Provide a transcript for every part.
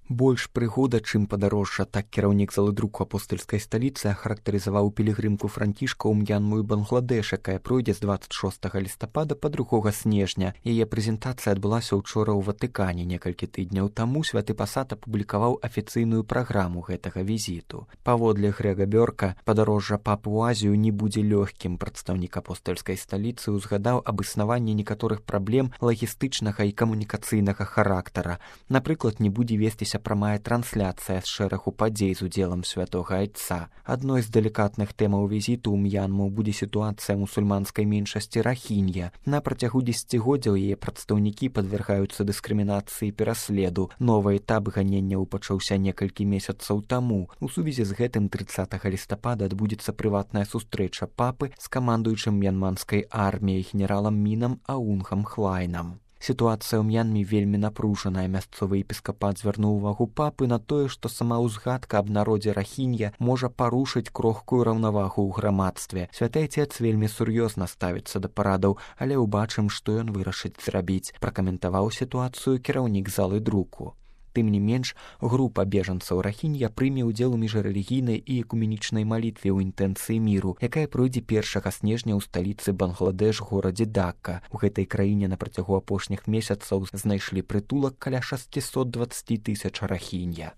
Больш прыгода, чым падарожжа, так кіраўнік залы друку апостальскай сталіцы ахарактарызаваў пілігрымку францішка ў М'янму і Бангладэш, якая пройдзе з 26 лістапада па 2 снежня. Яе прэзентацыя адбылася ўчора ў Ватыкане. Некалькі тыдняў таму святы пасад апублікаваў афіцыйную праграму гэтага візіту. Паводле Грэга Бёрка, падарожжа папы ў Азію не будзе лёгкім. Прадстаўнік апостальскай сталіцы ўзгадаў аб існаванні некаторых праблем лагістычнага і камунікацыйнага характара. Напрыклад, не будзе весціся прамая трансляцыя з шэрагу падзей з удзелам святога айца. Адной з далікатных тэмаў візіту ў М'янму будзе сітуацыя мусульманскай меншасці рахінья. На працягу дзесяцігоддзяў яе прадстаўнікі падвяргаюцца дыскрымінацыі і пераследу. Новы этап ганенняў пачаўся некалькі месяцаў таму. У сувязі з гэтым 30 лістапада адбудзецца прыватная сустрэча папы з камандуючым м'янманскай арміяй генералам Мінам Аунхам Хлайнам. Сітуацыя ў М'янме вельмі напружаная. Мясцовы епіскапат звярнуў увагу папы на тое, што сама ўзгадка аб народзе рахінья можа парушыць крохкую раўнавагу ў грамадстве. Святы Айцец вельмі сур'ёзна ставіцца да парадаў, але ўбачым, што ён вырашыць зрабіць, пракаментаваў сітуацыю кіраўнік залы друку. Тым не менш, група бежанцаў рахінья прыме ўдзел у міжрэлігійнай і экуменічнай малітве ў інтэнцыі міру, якая пройдзе 1 снежня ў сталіцы Бангладэш горадзе Дакка. У гэтай краіне на працягу апошніх месяцаў знайшлі прытулак каля 620 тысяч рахінья.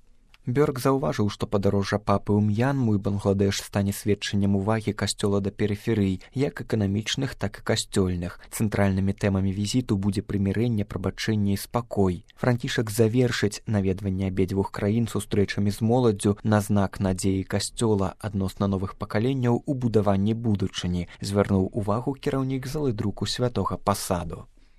Бёрк заўважыў, што падарожжа папы ў М'янму і Бангладэш стане сведчаннем увагі касцёла да перыферый, як эканамічных, так і касцёльных. Цэнтральнымі тэмамі візіту будзе прымірэнне, прабачэнне і спакой. Францішак завершыць наведванне абедзвюх краін сустрэчамі з моладдзю на знак надзеі касцёла адносна новых пакаленняў у будаванні будучыні, звярнуў увагу кіраўнік залы друку святога пасаду.